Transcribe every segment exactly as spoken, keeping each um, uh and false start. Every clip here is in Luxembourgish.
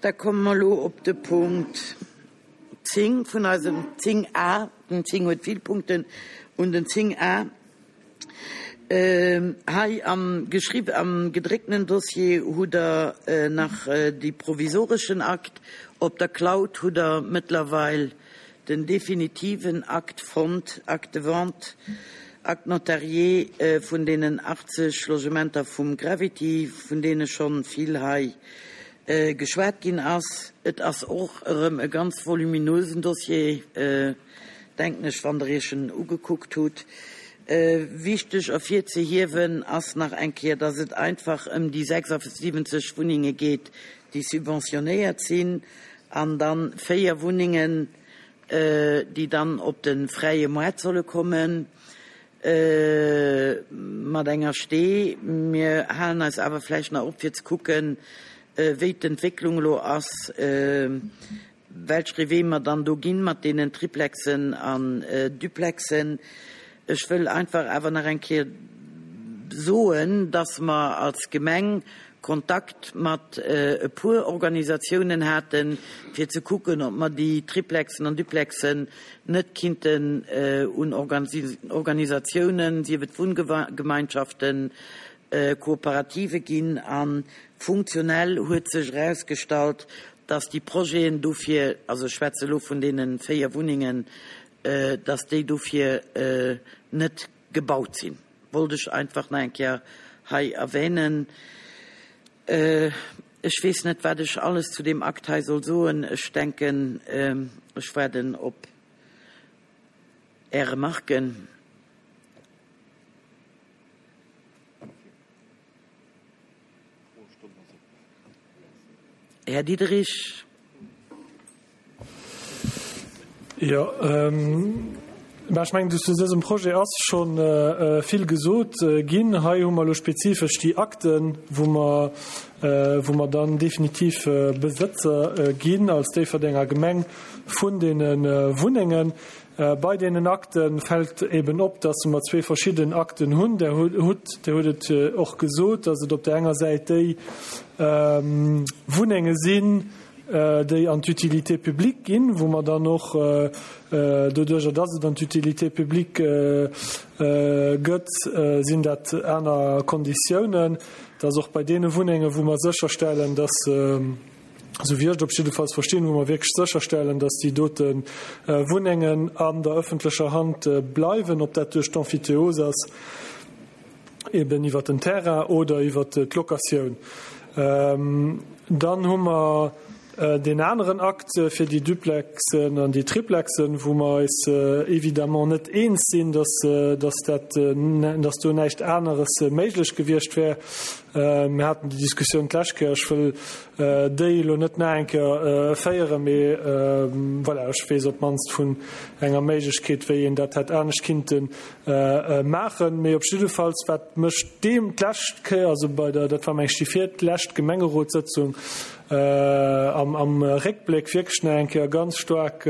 Da komme mer elo op de Punkt zéng vun eisem zéng A. Den zéng huet vill Punkten. Un den zéng A. Hei am geschriww am gedréckten Dossier hutt Der nach déi provisoreschen Akt. Op der Cloud hutt Der mëttlerweil den definitiven Akt fonnt, Acte de vente, Acte notarié vun deenen achtzeg Logementer vum Gravity, vun deene schonn vill hei geschwat ginn ass. Et ass och erëm e ganz voluminösen Dossier, denken ech, wann Der Iech en ugekuckt hutt. Wichteg ervirzehiewen ass nach eng Kéier, dass et einfach ëm déi sechsundsiwwenzeg Wunnenge geet, déi subventionéiert sinn, an da véier Wunnengen, déi dann op de fräie Moart solle kommen, mat enger Stee. Mir halen eis awer vläicht nach op, fir ze kucken, wéi d'Entwécklung elo ass, welch Wee mer dann do ginn mat deenen Triplexen an Duplexen. Ech wëll einfach awer nach eng Kéier soen, dass mer als Gemeng Kontakt mat e puer Organisatiounen haten, fir ze kucken, ob mer déi Triplexen an Duplexen net kinnten un Organisatiounen, sief et Wunngemeinschaften, Kooperative ginn. A funktionell huet sech erausgestallt, dass déi Projeten dofir, also ech schwätze elo vun deene véier Wunnengen, dass déi dofir net gebaut sinn. Wollt ech einfach nach eng Kéier hei erwähnen. Ech weess net, wat ech alles zu deem Akt hei soll soen. Ech denken, ech waarden op Är Remarken. Här Diderich. Jo, mä ech mengen, zu dësem Projet ass scho vill gesot ginn. Hei hu mer elo spezifesch déi Akten, wou mer, wou mer dann definitiv Besëtzer ginn als Déifferdenger Gemeng vun deene Wunnengen. Bei deenen Akte fält eben op, dass mer zwee verschidden Akten hunn. Der hutt, Dir hutt et och gesot, dass et op där enger Säit déi Wunnenge sinn, déi an d'Utilité publique ginn, wou mer dann och doduerjer, dass et an d'Utilité publique gëtt, sinn dat aner Konditiounen, dass och bei deene Wunnenge wou mer sécherstellen, dass, esou wéi ech et op jiddefalls verstinn, wou mer wierklech sécherstellen, dass déi dote Wunnengen an der öffentlecher Hand bleiwen, ob dat duerch d'Emphytéose ass, eben iwwert den Terrain oder iwwert d'Locatioun. Dann hu mer deen aneren Akt fir déi Duplexen an déi Triplexen, wou mer eis évidemment net eens sinn, dass, dass dat, dass do näischt aneres méiglech gewiescht wär. Mir haten déi Diskussioun d'lescht Kéier. Ech wëll déi elo net nach eng Kéier féieren, mee voilà, ech weess op d'mannst vun enger Méiglechkeet, wéi een dat hätt anescht kinnte maachen. Mee op jiddefalls, wat mech deem d'lescht Kéier, also bei der, dat war meng ech déi virlescht Gemengerotssëtzung, am, am Réckbléck wierklech nach eng Kéier ganz staark,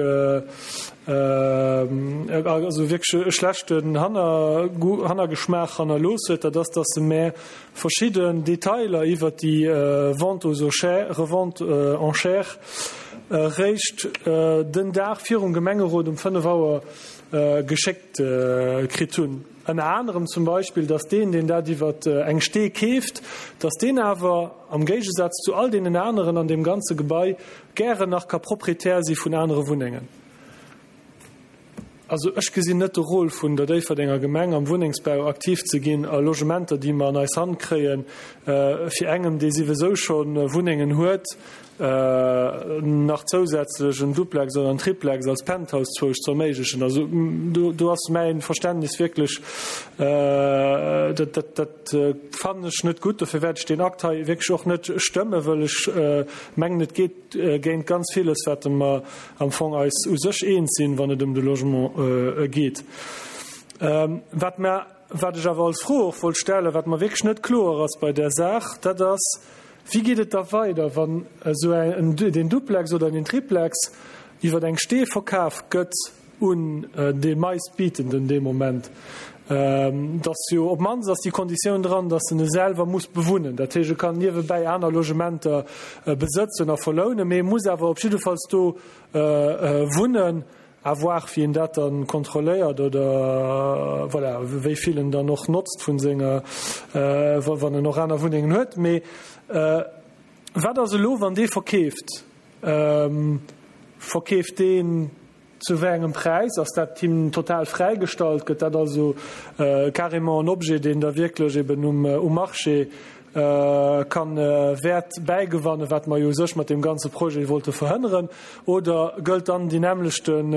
also wierklech e schlechten Hanner, Hannergeschmaach hannerlooss huet, dat ass, dass se mär verschidden Detailer iwwert déi Vente aux enchères, Revente enchères réischt den Dag virum Gemengerot um fënnef Auer geschéckt kritt hunn. Ënner anerem zum Beispill, dass deen, deen dat iwwer eng Stee keeft, dass deen awer am Géigesaz zu all deenen aneren an deem ganze Gebai gären nach ka Proprietär si vun anere Wunnengen. Also ech gesinn net de Rôle vun der Déifferdenger Gemeng am Wunnengsbau aktiv ze ginn a Logementer, déi mer an eis Hand kréien, fir engem, dee siwesou scho Wunnengen huet, nach zousätzlech en Duplex oder en Triplex als Penthouse zwousch ze erméiglechen. Also do, do ass mäin Verständnis wierklech, dat, dat, dat fannen ech net gutt. Dofir wäert ech deen Akt hei wierklech och net stëmmen, wëll ech mengen, et geet géint ganz villes, wat mer am Fong eis u sech eens sinn, wann et ëm de Logement geet. Wat mer, wat ech awer als Fro och wollt stellen, wat mer wierklech net kloer ass bei där Saach, dat ass, wéi geet et da weider, wann esou en, den Duplex oder den Triplex iwwer eng Stee verkaf gëtt un dee meistbietenden dee Moment? Dass jo op d'mannst ass déi Konditioun dran, dass en e selwer muss bewunnen. Dat heescht, e kann niewebäi aner Logementer besëtzen a verlounen, mee e muss awer op jiddefalls do wunnen. À voir, wéi een dat dann kontrolléiert oder, voilà, wéi vill en dann och notzt vun senger, wann en och aner Wunnengen huet. Mee wat ass elo, wann dee verkeeft? Verkeeft deen zu wéi engem Präis? Ass dat him total fräigestallt? Gëtt dat also carrément en Objet, deen da wierklech eben um Marché kann Wäert bäigewannen, wat mer jo u sech mat deem ganze Projet wollte verhënneren? Oder gëllt dann déi nämmlechten,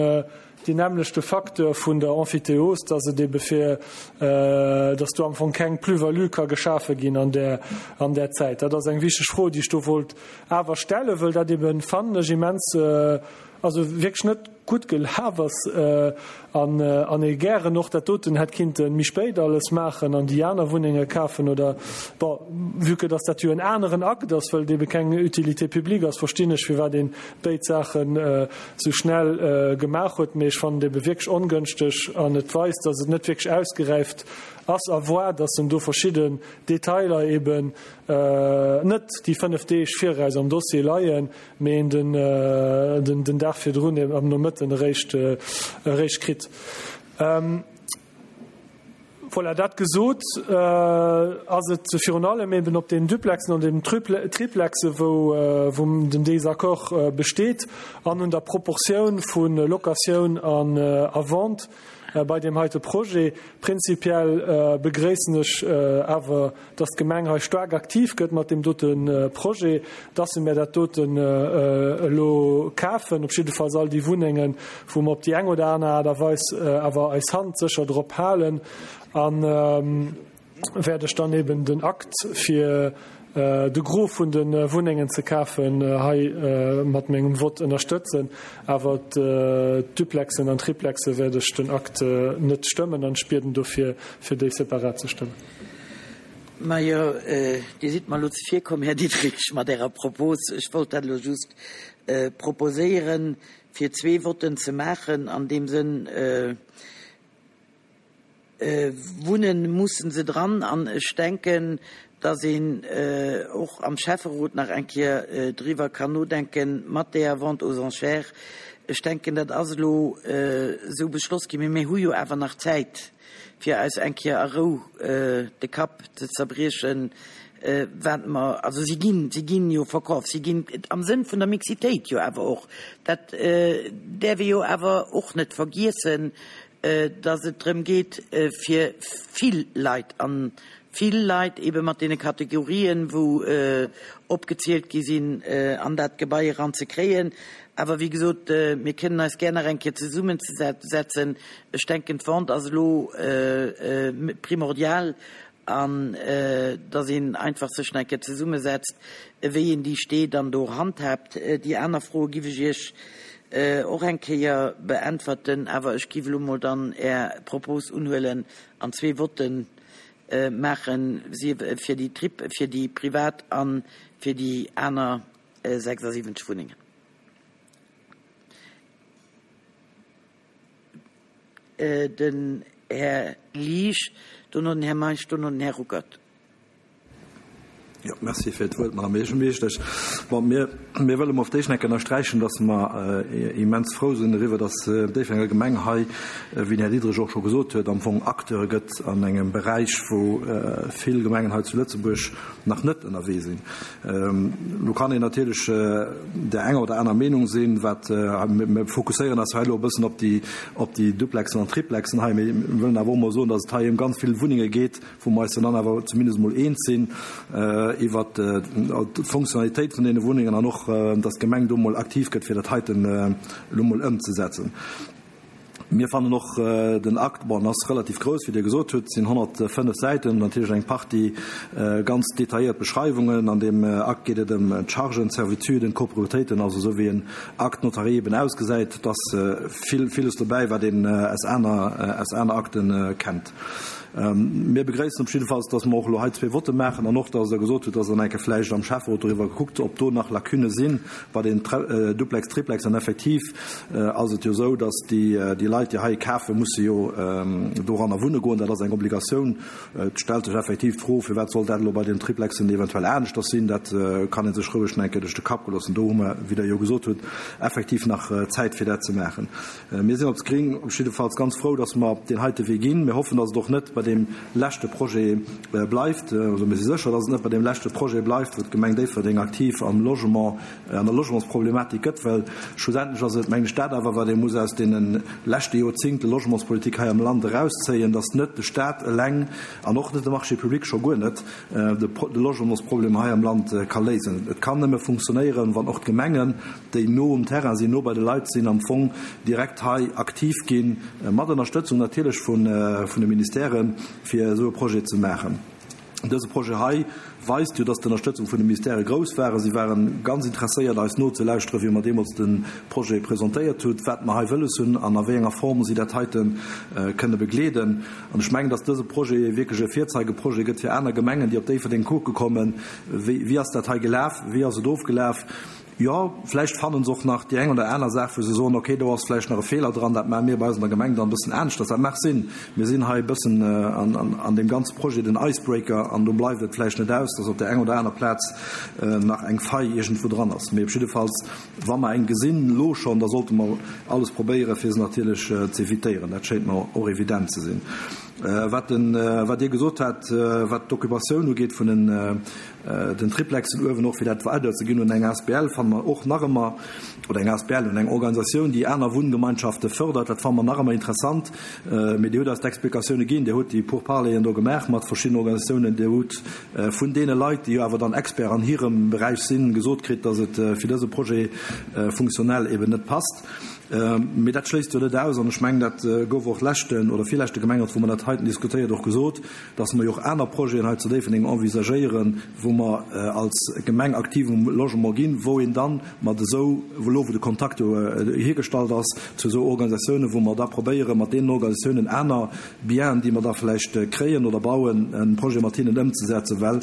deen nämmlechte Facteur vun der Emphytéose, dass et ebe fir, dass do am Fong keng Plus-value ka geschafe ginn an där, an där Zäit? Dat ass eng wichteg Fro, déi ech do wollt awer stellen, wëll dat eben, fannen ech, immens, also wierklech net gutt gelaf ass an an ee gären och dat doten hätt kinnte méi spéit alles maachen an déi aner Wunnenge kafen oder, bon, vue que dass dat jo en aneren Akt ass, wëll et ebe keng Utilité publique ass, verstinn ech, firwat een béid Saachen esou schnell gemaach huet. Mee ech fannen et ebe wierklech ongënschteg an et weist, dass et net wierklech ausgeräift ass à voir, dass en do verschidden Detailer eben net déi fënnef Deeg viraus am Dossier leien, mee een den den Dag virdrun am Nomëtten eréischt eréischt kritt. Voilà, dat gesot, ass et virun allem eben op den Duplexen an den Triplexe wou wou den Désaccord besteet an un der Proportioun vu Locatioun an a Vente bei deem heite Projet. Prinzipiell begréissen ech awer, dass d'Gemeng hei staark aktiv gëtt mat deem dote Projet, dass se mir dat doten elo kafen, op jiddefalls all déi Wunnengen, wou mer op déi eng oder aner Aart a Weis awer eis Hand sécher drop halen. An wäert ech dann eben den Akt fir de Gros vun de Wunnengen ze kafen hei mat mengem Vott ënnerstëtzen. Awer d'Duplexen an d'Triplexe wäert ech den Akt net stëmmen an ech bieden dofir, fir déi separat ze stëmmen. Majo, Dir sidd mer elo zevirkomm, Här Diderich, mat Ärer Propos. Ech wollt dat elo just proposéieren, fir zwee Votten ze maachen an deem Sënn. Wunnen mussen se dran an ech denken, dass een och am Schäfferot nach eng Kéier driwwer kann nodenken mat deeër Vente aux enchères. Ech denken, dat ass elo esou beschloss ginn, mee mir hu jo awer nach Zäit, fir eis eng Kéier a Rou de Kapp ze zerbriechen, wat mer, also si ginn, si ginn jo verkaf, si ginn am Sënn vun der Mixitéit jo awer och, dat däerf ee jo awer och net vergiessen, dass et drëm geet, fir vill Leit an vill Leit ebe mat deene Kategorien, wou opgezielt gi sinn, an dat Gebai eran ze kréien. Awer wéi gesot, mir kënnen eis gär nach eng Kéier zesummenzesetzen. Ech denken, d'Vente ass elo primordial an dass een einfach sech nach eng Kéier zesummesetzt, wéi een déi Stee dann do handhaabt. Déi aner Froe giff ech Iech och eng Kéier beäntwerten, awer ech giff elo mol dann Är Propos unhuelen an zwee Votte maachen, sief fir déi Trip, fir déi privat a fir déi aner sechsasiwwenzeg Wunnengen. Den Här Liesch, dono den Här Meisch, dono den Här Ruckert. Jo, merci fir d'Wuert, Madame Buergermeeschtesch. Bon, mir, mir wëlle mol op d'éischt eng Kéier ënnersträichen, dass mer immens frou sinn eriwwer, dass d'Déifferdenger Gemeng hei, wéi den Här Diderich och scho gesot huet, am Fong Acteur gëtt an engem Beräich, wou vill Gemengen hei zu Lëtzebuerg nach net ënnerwee sinn. Elo kann een natierlech där enger oder aner Meenung sinn, wat, mir fokusséieren eis hei elo e bëssen op déi, op déi Duplexen an Triplexen hei, mee mir wëllen awer och mol soen, dass et hei ëm ganz vill Wunnenge geet, wou mer eis dann awer zumindest emol eens sinn iwwert d'Fonctionnalitéit vun deene Wunnengen an och, dass d'Gemeng do emol aktiv gëtt, fir dat heiten elo emol ëmzesetzen. Mir fannen och den Akt, bon, en ass relativ grouss, wéi Dir gesot hutt, et sinn honnertfënnef Säiten, natierlech eng Partie ganz detailléiert Beschreiwungen. An deem Akt geet et ëm d'Chargen, d'Servituden, d'Coproprietéiten, also esou wéi en Acte notarié eben ausgesäit. Et ass vill, villes dobäi, wat een aus aner, aus aner Akte kennt. Mir begréissen op jiddefalls, dass mer och elo hei zwee Votte maachen an och, dass Der gesot hutt, dass Der eng Kéier vläicht am Schäfferot doriwwer kuckt, ob do nach Lacunne sinn bei den Duplex, Triplex. An effektiv ass et jo esou, dass déi Leit, déi hei kafen, musse jo doranner wunne goen. Dat ass eng Obligatioun. Et stellt sech effektiv d'Fro, firwat soll dat elo bei den Triplexen eventuell aneschters sinn. Dat kann ee sech roueg nach eng Kéier duerch de Kapp goe loossen. Do hu mer, wéi Der jo gesot hutt, effektiv nach Zäit, fir dat ze maachen. Mir sinn als Gring op jiddefalls ganz frou, dass mer deen heite Wee ginn. Mir hoffen, dass et och net bei deem leschte Projet bleift. Also mir si sécher, dass et net bei deem leschte Projet bleift, wou d'Gemeng Déifferdeng aktiv am Logement, an der Logementsproblematik gëtt, well schlussendlech ass et, mengen ech, dat awer, wat ee muss aus deene leschte Joerzingte Logementspolitik hei am Land erauszéien, dass net de Stat eleng an och net de Marché public, scho guer net, de Logementsproblem hei am Land ka léisen. Et kann nëmme funktionéieren, wann och d'Gemengen, déi no um Terrain sinn, no bei de Leit sinn, am Fong direkt hei aktiv ginn, mat Ënnerstëtzung natierlech vun de Ministèren, fir esou e Projet ze maachen. Dëse Projet hei weist jo, dass d'Ënnerstëtzung vun de Ministèrë grouss waren. Si ware ganz interesséiert, eis nozelauschteren, wéi mer deemools de Projet presentéiert hunn, wat mer hei wëlles hunn an a wéi enger Form si dat heite kënne begleeden. An ech mengen, dass dëse Projet wierklech e Virzeigeprojet gëtt fir aner Gemengen, déi op Déifferdeng kucke kommen, wéi, wéi ass dat hei gelaf, wéi ass et ofgelaf. Jo, vläicht fannen se och nach déi eng oder aner Saach, wou se soen, okay, do ass vläicht nach e Feeler dran, dat maache mir bei eis an der Gemeng dann e bëssen aneschters. Dat mag sinn. Mir sinn hei e bëssen an deem ganze Projet den Icebreaker an do bleift et vläicht net aus, dass op där enger oder aner Plaz nach eng Faille iergendwou dran ass. Mee op jiddefalls, wa mer eng gesinn elo schonn, da sollte mer alles probéieren, fir se natierlech ze evitéieren. Dat schéint mer och evident ze sinn. Wat den, wat Dir gesot hat, wat d'Occupatioun ugeet vun den, den Triplexen uewen, och fir dat weiderzeginn un eng asbl, fanne mer och nach ëmmer, oder eng asbl, un eng Organisatioun, déi aner Wunngemeinschafte fördert, dat fanne mer nach ëmmer interessant. Mee Dir hutt eis d'Explikatioune ginn, Dir hutt déi Pourparleren do gemaach mat verschiddenen Organisatiounen, Dir hutt vun deene Leit, déi jo awer dann Expert an hirem Beräich sinn, gesot kritt, dass et fir dëse Projet funktionell eben net passt. Mee dat schléisst jo net aus, an ech mengen, dat gouf och leschten oder virleschte Gemengerot, wou mer dat heiten diskutéiert, och gesot, dass mer jo och aner Projeten hei zu Déifferdeng envisagéieren, wou mer als Gemeng aktiv um Logement ginn, wou een dann mat esou, elo wou de Kontakt jo hiergestallt ass, zu esou Organisatiounen, wou mer da probéieren, mat deenen Organisatiounen aner Bienen, déi mer da vläicht kréien oder bauen, e Projet mat hinnen ëmzesetzen, well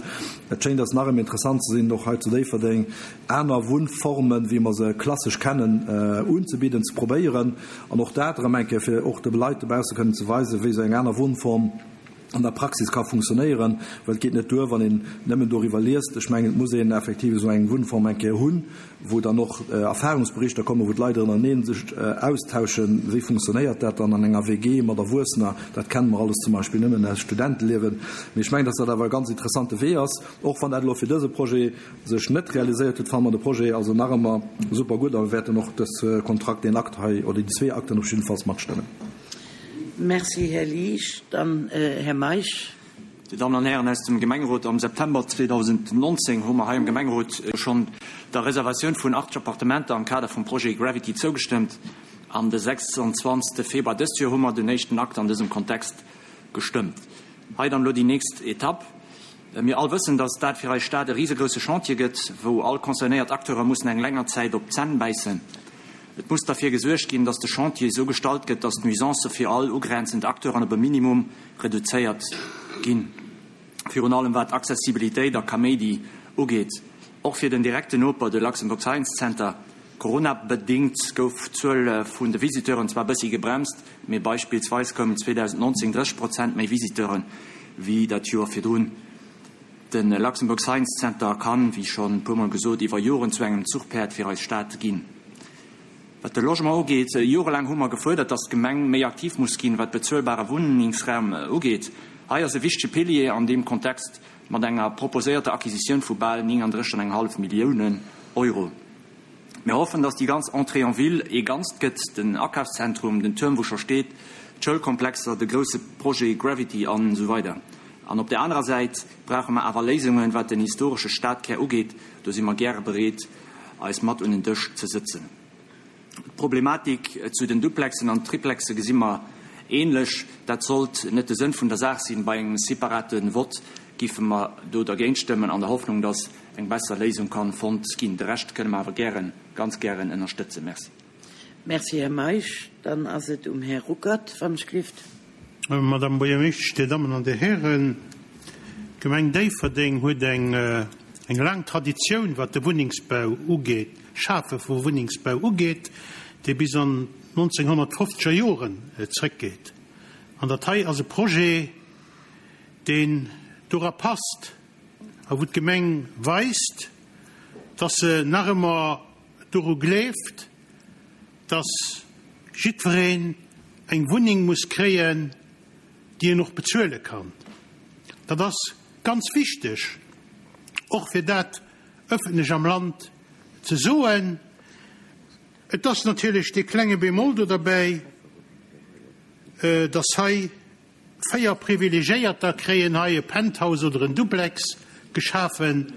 et schéngt eis nach ëmmer interessant ze sinn, och hei zu Déifferdeng aner Wunnformen, wéi mer se klassesch kennen, unzebidden, ze probéieren an och dat erëm eng Kéier, fir och de Leit dobausse kënnen ze weisen, wéi esou eng aner Wunnform an der Praxis ka funktionéieren, well et geet net duer, wann een nëmmen doriwwer liest. Ech mengen, et muss een effektiv esou eng Wunnform eng Kéier hunn, wou dann och Erfahrungsberichter kommen, wou d'Leit ënnerenee sech austauschen, wéi funktionéiert dat dann an enger W G mat Erwuessener. Dat kenne mer alles zum Beispill nëmmen aus Studenteliewen. Mee ech mengen, dass dat awer e ganz interessante Wee ass. Och wann dat elo fir dëse Projet sech net realiséiert huet, fanne mer de Projet also nach ëmmer super gutt a mir wäerten och dës Kontrakt, deen Akt hei oder déi zwee Akten op jiddefalls matstëmmen. Merci, Här Liesch. Dann Här Meisch. Dir Dammen an Hären aus dem Gemengerot, am September zweedausendnonzéng hu mer hei am Gemengerot schonn der Reservatioun vun achtzeg Appartementer am Kader vum Projet Gravity zougestëmmt. An de sechsanzwanzegste Februar dëst Joer hu mer den éischten Akt an dësem Kontext gestëmmt. Hei dann elo déi nächst Etapp. Mir all wëssen, dass dat fir eis Stad e risegrousse Chantier gëtt, wou all concernéiert Acteure mussen eng länger Zäit op d'Zänn bäissen. Et muss derfir gesuergt ginn, dass de Chantier esou gestalt gëtt, dass d'Nuisancë fir all ugrenzend Acteuren op e Minimum reduzéiert ginn. Virun allem wat Accessibilitéit a Kaméidi ugeet. Och fir den direkten Noper, de Luxembourg Science Center. Corona-bedéngt gouf d'Zuel vun de Visiteuren zwar bëssi gebremst, mee beispillsweis koumen zweedausendnonzéng drësseg Prozent méi Visiteure wéi dat Joer virdrun. De Luxembourg Science Center kann, wéi schonn e puermol gesot, iwwer Joren zu engem Zuchpäerd fir eis Stad ginn. Wat de Logement ugeet, jorelaang hu mer gefuerdert, dass d'Gemeng méi aktiv muss ginn, wat bezuelbare Wunnengsraum ugeet. Hei ass e wichtege Pilier an deem Kontext mat enger proposéierter Acquisitioun vu bal néngandrësseg an eng hallef Milliounen Euro. Mir hoffen, dass déi ganz Entrée en ville ee Ganzt gëtt, den Akafszentrum, den Tuerm wou scho steet, d'Schoulkomplexer, de grousse Projet Gravity an esou weider. An op der anerer Säit brauche mer awer Léisungen, wat den historesche Stadkär ugeet. Do si mer gäre bereet, eis mat un den Dësch ze sëtzen. D'Problematik zu den Duplexen an Triplexe gesi mer ähnlech. Dat sollt net de Sënn vun der Saach sinn. Bei engem separate Vott géife mer do dergéint stëmmen, an der Hoffnung, dass eng besser Léisung kann fonnt ginn. De Rescht kënne mer awer gären, ganz gären ënnerstëtzen. Merci. Merci, Här Meisch. Dann ass et um Här Ruckert, wann ech gelift. Madame Buergermeeschtesch, Dir Dammen an Dir Hären, d'Gemeng Déifferdeng huet eng eng laang Traditioun, wat de Wunnengsbau ugeet, d'Schafe vu Wunnengsbau ugeet, déi bis an d'nonzénghonnertfofzeger Joren zrëckgeet. An dat hei ass e Projet, deen dora passt a wou d'Gemeng weist, dass se nach ëmmer doru gleeft, dass jiddwereen eng Wunneng muss kréien, déi en och bezuele kann. Dat ass ganz wichteg, och fir dat ëffentlech am Land ze soen. Et ass natierlech dee klenge Bémol do derbäi, dass hei véier Privilegiéierter kréien hei e Penthouse oder en Duplex geschafen,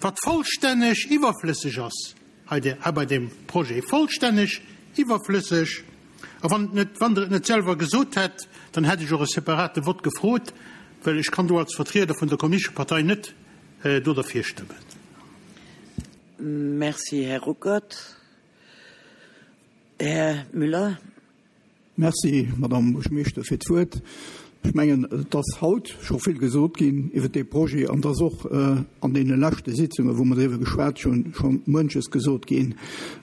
wat vollstänneg iwwerflësseg ass hei bei deem Projet, vollstänneg iwwerflësseg. A wann et net, wann Der et net selwer gesot hätt, dann hätt ech och e separate Vott gefrot, well ech kann do als Vertrieder vun der Kommunistescher Partei net do derfir stëmmen. Merci, Här Ruckert. Här Müller. Merci, Madame Buergermeeschter, fir d'Wuert. Ech mengen, et ass haut scho vill gesot ginn iwwert dee Projet an et ass och an deene leschte Sitzungen, wou mer driwwer geschwat hunn, scho muenches gesot ginn.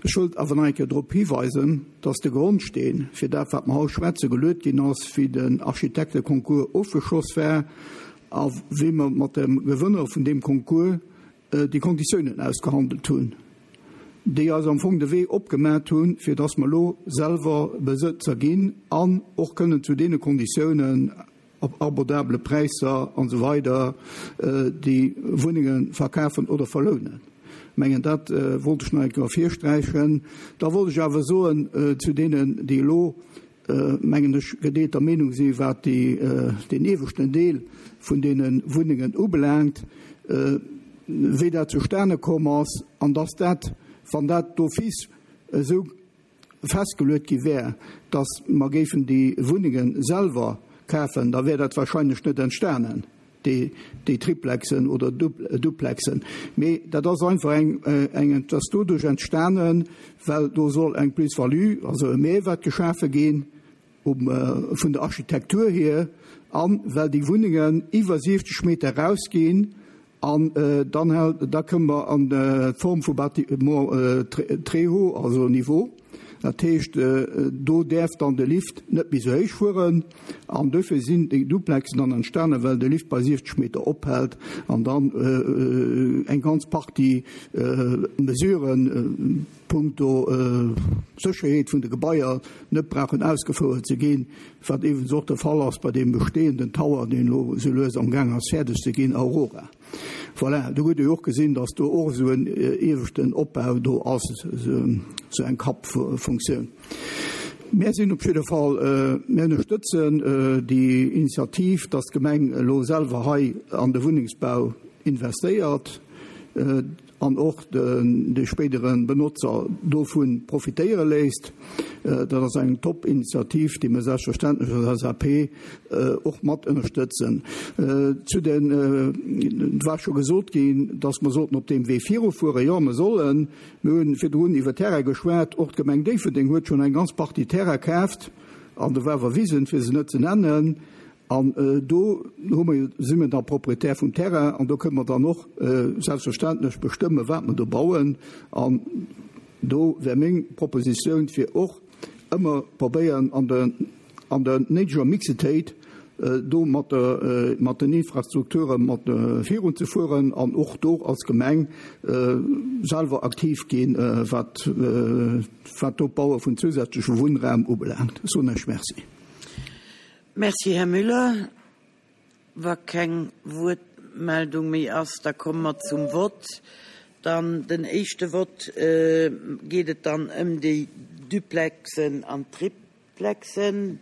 Ech wëllt awer nach eng Kéier drop hiweisen, dass de Grondsteen fir dat, wat mer haut schwätzen, geluet ginn ass, wéi den Architekteconcours ofgeschloss war a wéi mer mat dem Gewënner vun deem Concours déi Konditiounen ausgehandelt hunn, déi eis am Fong de Wee opgemat hunn, fir dass mer elo selwer Besëtzer ginn an och kënnen zu deene Konditiounen op abordabele Präisser an esou weider déi Wunnenge verkafen oder verlounen. Ech mengen, dat wollt ech nach eng Kéier ervirsträichen. Da wollt ech awer soen zu deenen, déi elo, mengen ech, gedeelter Meenung si wat déi, deen ieweschten Deel vun deene Wunnengen ubelaangt, wéi dat zustane komm ass an dass dat, wann dat d'office esou festgeluet gi wär, dass mer géifen déi Wunnenge selwer kafen, da wär dat wahrscheinlech net entstanen, déi, déi Triplexen oder Duplexen. Mee dat ass einfach eng, eng, et ass doduerch entstanen, well do soll eng Plus-value, also e Mehrwert geschafe ginn um, vun der Architektur hier, an well déi Wunnengen iwwer siwzeg Meter erausginn, an dann hält, da kënne mer an d'Form vu Bâtiment très haut, also Niveau. Dat heescht, do däerf dann de Lift net méi esou héich fueren. An dofir sinn déi Duplexen dann entstanen, well de Lift bei siwzeg Meter ophält an dann eng ganz Partie Mesuren punkto Sécherheet vun de Gebaier net brauchen ausgefouert ze ginn, wat iwwregens och de Fall ass bei deem bestehenden Tower, deen elo esou lues am Gaang ass fäerdeg ze ginn, Aurora. Voilà, do hutt Dir jo och gesinn, dass do och esou en ieweschten Opbau do ass, esou eng Kappfunktioun. Mär sinn op jidde Fall, mär ënnerstëtzen déi Initiativ, dass d'Gemeng elo selwer hei an de Wunnengsbau investéiert an och de spéidere Benotzer dovu profitéiere léisst. Dat ass eng top Initiativ, déi mir selbstverständlech als L S A P och mat ënnerstëtzen. Zu den, et war scho gesot ginn, dass mer sollten op deem Wee virufueren. Jo, mer sollen. Mir hunn virdrun iwwer Terrain geschwat. Och d'Gemeng Déifferdeng huet schonn eng ganz Partie Terrain kaaft an de Wawerwisen, fir se net ze nennen. An do hu mer, si mir da Proprietär vum Terrain an do kënne mer dann och selbstverständlech bestëmme wat mer do bauen. An do wär meng Propositioun fir och ëmmer probéieren an der an der néideger Mixitéit do mat der mat den Infrastrukture mat virun ze fueren an och do als Gemeng selwer aktiv ginn, wat wat d'Opbaue vun zusätzleche Wunnraum ubelaangt. Soen ech Merci. Merci, Här Müller. Wa keng Wuertmeldung méi ass, da komme mer zum Vott. Dann den éischte Vott geet et dann ëm déi Duplexen an Triplexen,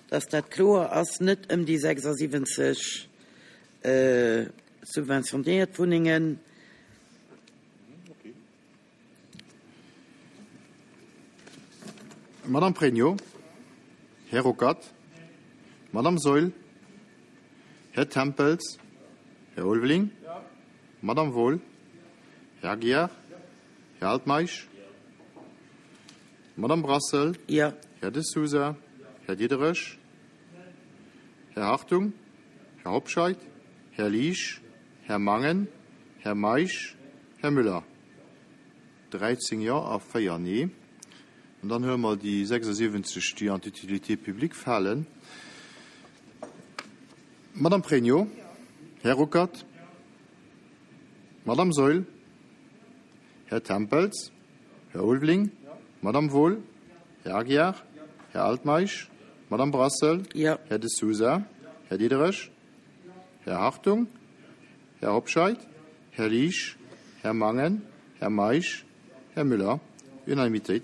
dass dat kloer ass, net ëm déi sechsasiwwenzeg subventionéiert Wunnengen. Madame Pregno, Här Ruckert, Madame Saeul, Här Tempels, Här Ulveling, Madame Wohl, Här Aguiar, Här Altmeisch, Madame Brassel, Ja. Här De Sousa, Här Diderich, Här Hartung, Här Hobscheit, Här Liesch, Här Mangen, Här Meisch, Här Müller. dräizéng Jo a véier Nee. An dann huele mer déi sechsundsiwwenzeg, déi an d'Utilité publique falen. Madame Pregno, Här Ruckert, Madame Saeul, Här Tempels, Här Ulveling, Madame Wohl, Här Aguiar, Här Altmeisch, Madame Brassel, Ja. Här De Sousa, Här Diderich, Här Hartung, Här Hobscheit, Här Liesch, Här Mangen, Här Meisch, Här Müller. Unanimitéit.